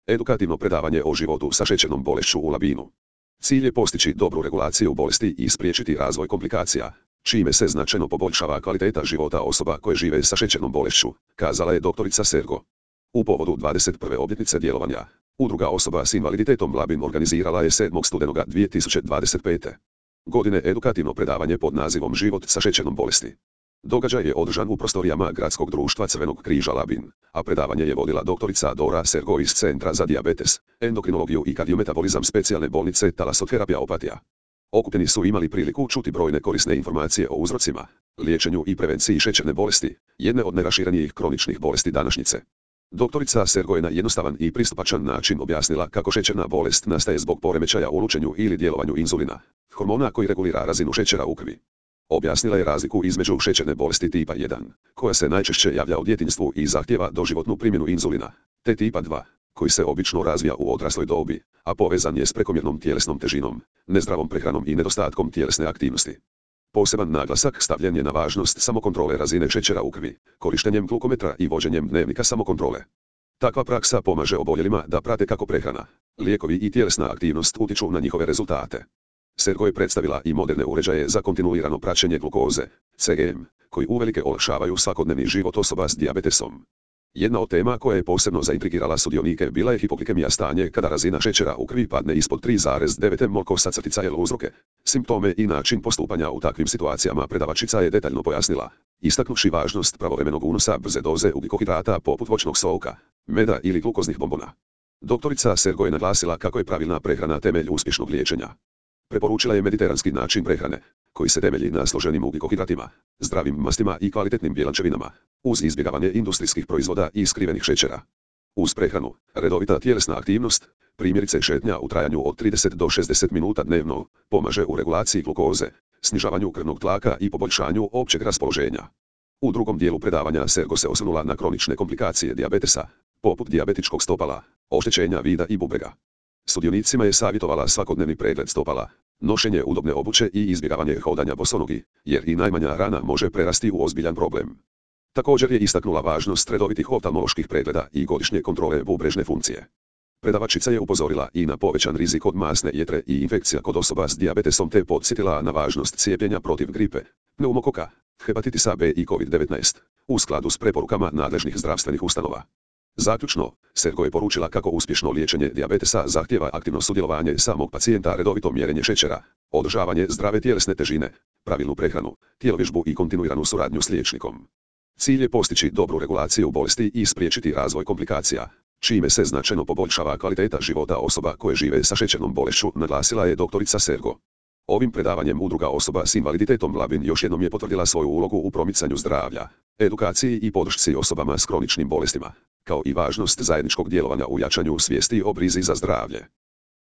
Edukativno predavanje o životu sa šećernom bolešću u Labinu. Cilj je postići dobru regulaciju bolesti i spriječiti razvoj komplikacija, čime se značajno poboljšava kvaliteta života osoba koje žive sa šećernom bolešću, kazala je doktorica Sergo. U povodu 21. obljetnice djelovanja, Udruga osoba s invaliditetom Labin organizirala je 7. studenoga 2025. godine edukativno predavanje pod nazivom Život sa šećernom bolesti. Događaj je održan u prostorijama Gradskog društva Crvenog križa Labin, a predavanje je vodila doktorica Dora Sergo iz Centra za dijabetes, endokrinologiju i kardiometabolizam specijalne bolnice Talasoterapija Opatija. Okupljeni su imali priliku čuti brojne korisne informacije o uzrocima, liječenju i prevenciji šećerne bolesti, jedne od najraširenijih kroničnih bolesti današnjice. Doktorica Sergo je na jednostavan i pristupačan način objasnila kako šećerna bolest nastaje zbog poremećaja u lučenju ili djelovanju inzulina, hormona koji regulira razinu šećera u krvi. Objasnila je razliku između šećerne bolesti tipa 1, koja se najčešće javlja u djetinjstvu i zahtijeva doživotnu primjenu inzulina, te tipa 2, koji se obično razvija u odrasloj dobi, a povezan je s prekomjernom tjelesnom težinom, nezdravom prehranom i nedostatkom tjelesne aktivnosti. Poseban naglasak stavljen je na važnost samokontrole razine šećera u krvi, korištenjem glukometra i vođenjem dnevnika samokontrole. Takva praksa pomaže oboljelima da prate kako prehrana, lijekovi i tjelesna aktivnost utječu na njihove rezultate. Sergo je predstavila i moderne uređaje za kontinuirano praćenje glukoze, CGM, koji uvelike olakšavaju svakodnevni život osoba s dijabetesom. Jedna od tema koja je posebno zaintrigirala sudionike bila je hipoglikemija, stanje kada razina šećera u krvi padne ispod 3,9 mol/L uzroke, simptome i način postupanja u takvim situacijama. Predavačica je detaljno pojasnila, istaknuvši važnost pravovremenog unosa brze doze ugljikohidrata poput voćnog soka, meda ili glukoznih bombona. Doktorica Sergo je naglasila kako je pravilna prehrana temelj uspješnog liječenja. Preporučila je mediteranski način prehrane, koji se temelji na složenim ugljikohidratima, zdravim mastima i kvalitetnim bjelančevinama, uz izbjegavanje industrijskih proizvoda i skrivenih šećera. Uz prehranu, redovita tjelesna aktivnost, primjerice šetnja u trajanju od 30 do 60 minuta dnevno, pomaže u regulaciji glukoze, snižavanju krvnog tlaka i poboljšanju općeg raspoloženja. U drugom dijelu predavanja Sergo se osvrnula na kronične komplikacije dijabetesa, poput dijabetičkog stopala, oštećenja vida i bubrega. Sudionicima je savjetovala svakodnevni pregled stopala, nošenje udobne obuće i izbjegavanje hodanja bosonogi, jer i najmanja rana može prerasti u ozbiljan problem. Također je istaknula važnost redovitih oftalmoloških pregleda i godišnje kontrole bubrežne funkcije. Predavačica je upozorila i na povećan rizik od masne jetre i infekcija kod osoba s dijabetesom te podsjetila na važnost cijepljenja protiv gripe, pneumokoka, hepatitisa B i COVID-19, u skladu s preporukama nadležnih zdravstvenih ustanova. Zaključno, Sergo je poručila kako uspješno liječenje dijabetesa zahtijeva aktivno sudjelovanje samog pacijenta, redovito mjerenje šećera, održavanje zdrave tjelesne težine, pravilnu prehranu, tjelovježbu i kontinuiranu suradnju s liječnikom. Cilj je postići dobru regulaciju bolesti i spriječiti razvoj komplikacija, čime se značajno poboljšava kvaliteta života osoba koje žive sa šećernom bolešću, naglasila je doktorica Sergo. Ovim predavanjem Udruga osoba s invaliditetom Labin još jednom je potvrdila svoju ulogu u promicanju zdravlja, edukaciji i podršci osobama s kroničnim bolestima, kao i važnost zajedničkog djelovanja u jačanju svijesti o brizi za zdravlje.